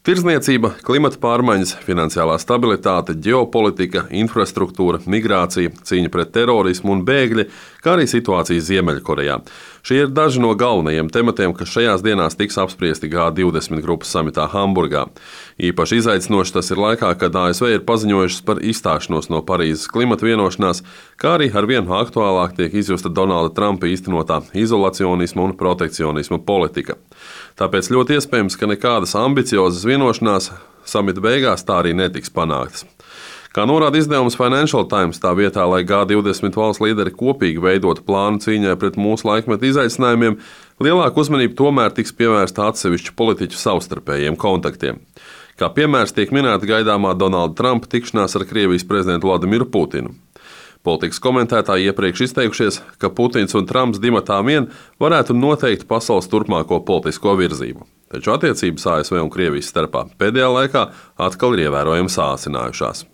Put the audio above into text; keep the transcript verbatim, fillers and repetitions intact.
Tirdzniecība, klimata pārmaiņas, finansiālā stabilitāte, ģeopolitika, infrastruktūra, migrācija, cīņa pret terorismu un bēgļi, kā arī situācija Ziemeļkorejā. Šie ir daži no galvenajiem tematiem, kas šajās dienās tiks apspriesti G divdesmit grupas samitā Hamburgā. Īpaši izaicinoši tas ir laikā, kad A S V ir paziņojušas par izstāšanos no Parīzes klimata vienošanās, kā arī arvien aktuālāk tiek izjusta Donalda Trumpa īstenotā izolacionisma un protekcionisma politika. Tāpēc ļoti iespējams, ka nekādas ambiciozas vienošanās samita beigās tā arī netiks panāktas. Kā norāda izdevums Financial Times, tā vietā, lai G divdesmit valsts līderi kopīgi veidotu plānu cīņai pret mūsu laikmeta izaicinājumiem, lielāka uzmanība tomēr tiks pievērsta atsevišķu politiķu savstarpējiem kontaktiem. Kā piemērs tiek minēta gaidāmā Donalda Trumpa tikšanās ar Krievijas prezidentu Vladimiru Putinu. Politikas komentētāji iepriekš izteikušies, ka Putins un Trumps dimatā vien varētu noteikt pasaules turpmāko politisko virzību. Taču attiecības A S V un Krievijas starpā pēdējā laikā atkal ir ievērojami sāsinājušās.